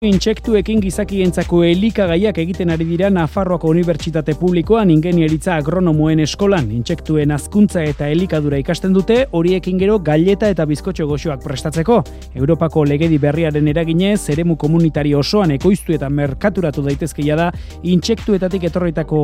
Intsektuekin gizakientzako elikagaiak egiten ari dira Nafarroako Unibertsitate Publikoan ingeniaritza agronomoen eskolan. Intsektuen hazkuntza eta elikadura ikasten dute, horiekin gero gaileta eta bizkotxo goxoak prestatzeko. Europako legedi berriaren eraginez, eremu komunitario osoan ekoiztu eta merkaturatu daitezkeia da intsektuetatik etorritako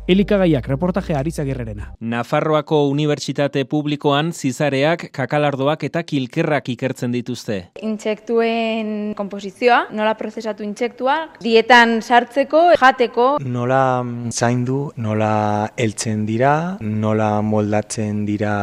elikagaiak. Reportaje Arizagirrerena. Nafarroako Unibertsitate Publikoan zizareak, kakalardoak eta kilkerrak ikertzen dituzte. Intsektuen konposizioa, nola prozesatu intsektuak, dietan sartzeko, jateko. Nola zaindu, nola heltzen dira, nola moldatzen dira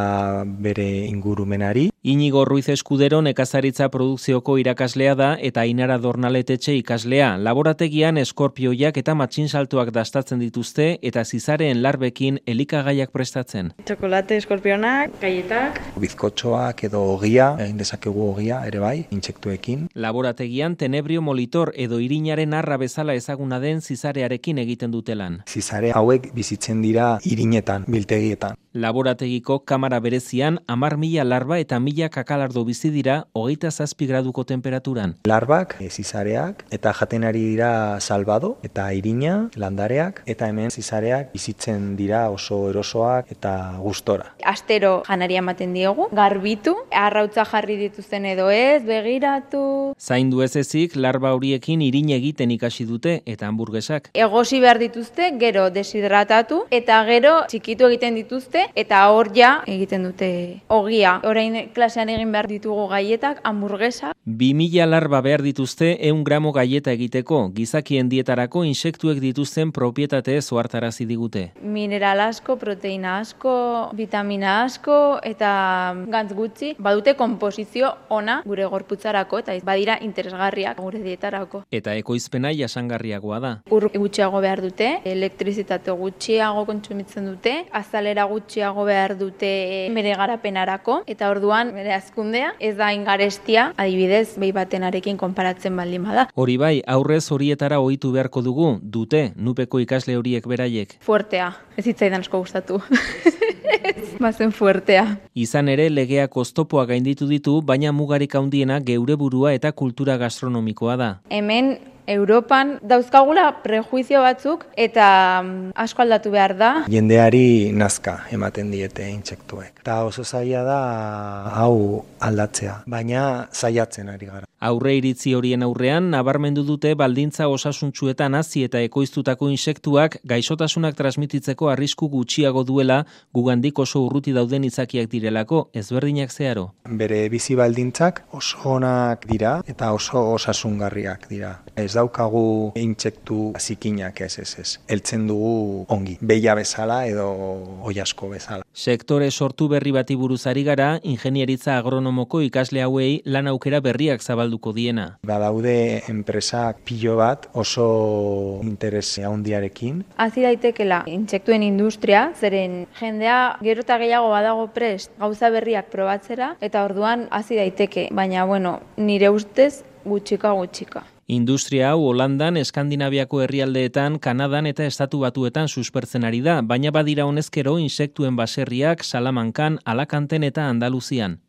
bere ingurumenari. Iñigo Ruiz Eskudero nekazaritza produkzioko irakaslea da eta Ainara Dornaletetxe ikaslea. Laborategian eskorpioiak eta matxinsaltoak dastatzen dituzte eta zizareen larbekin elikagaiak prestatzen. Txokolate, eskorpionak, gaietak. Bizkotxoak edo ogia, egin dezakegu ogia ere bai, intsektuekin. Laborategian tenebrio molitor edo irinaren arra bezala ezaguna den zizarearekin egiten dute lan. Zizare hauek bizitzen dira irinetan, biltegietan. Laborategiko kamara berezian 10.000 larba eta 1.000 kakalardo bizi dira 27 graduko temperaturan. Larbak, zizareak, eta jaten ari dira salbado, eta irina, landareak, eta hemen zizareak bizitzen dira oso erosoak eta gustora. Astero janaria ematen diogu, garbitu, arrautza jarri dituzten edo ez, begiratu. Zaindu ez ezik, larba horiekin irin egiten ikasi dute eta hamburgesak. Egosi behar dituzte, gero deshidratatu, eta gero txikitu egiten dituzte, eta hor ja egiten dute ogia. Orain klasean egin behar ditugu gaietak, hamburguesa. 2.000 larba behar dituzte 100 gramo gaieta egiteko, gizakien dietarako insektuek dituzten propietate ohartarazi digute. Mineral asko, proteina asko, vitamina asko, eta gantz gutxi, badute konposizio ona gure gorputzarako, eta badira interesgarriak gure dietarako. Eta ekoizpena jasangarriagoa da. Ur gutxiago behar dute, elektrizitate gutxiago kontsumitzen dute, azalera gutxiago behar dute bere garapenarako, eta orduan bere hazkundea ez da ingarestia, adibidez, behi batenarekin konparatzen baldin bada. Hori bai, aurrez horietara ohitu beharko dugu, dute, nupeko ikasle horiek beraiek. Fuertea, ez hitzaidan asko gustatu. Bazen fuertea. Izan ere, legeak oztopoa gainditu ditu, baina mugarik handiena geure burua eta kultura gastronomikoa da. Hemen Europan dauzkagula prejuizio batzuk eta asko aldatu behar da. Jendeari nazka ematen diete intsektuek. Eta oso zaila da hau aldatzea, baina saiatzen ari gara. Aurre iritzi horien aurrean, nabarmendu dute baldintza osasuntsuetan hazi eta ekoiztutako insektuak gaixotasunak transmititzeko arrisku gutxiago duela gugandik oso urruti dauden izakiak direlako, ezberdinak zeharo. Bere bizi baldintzak oso onak dira eta oso osasungarriak dira. Ez daukagu intsektu zikinak ez. Heltzen dugu ongi, beia bezala edo oiasko bezala. Sektore sortu berri bati buruz ari gara, ingeniaritza agronomoko ikasle hauei lan aukera berriak zabalduko diena. Badaude enpresak pilo bat oso interes handiarekin. Hazi daitekela intsektuen industria, zeren jendea gero eta gehiago badago prest gauza berriak probatzera, eta orduan hazi daiteke, baina nire ustez gutxika. Industria hau Holandan, Eskandinaviako herrialdeetan, Kanadan eta Estatu Batuetan suspertzen ari da, baina badira honezkero insektuen baserriak Salamankan, Alakanten eta Andaluzian.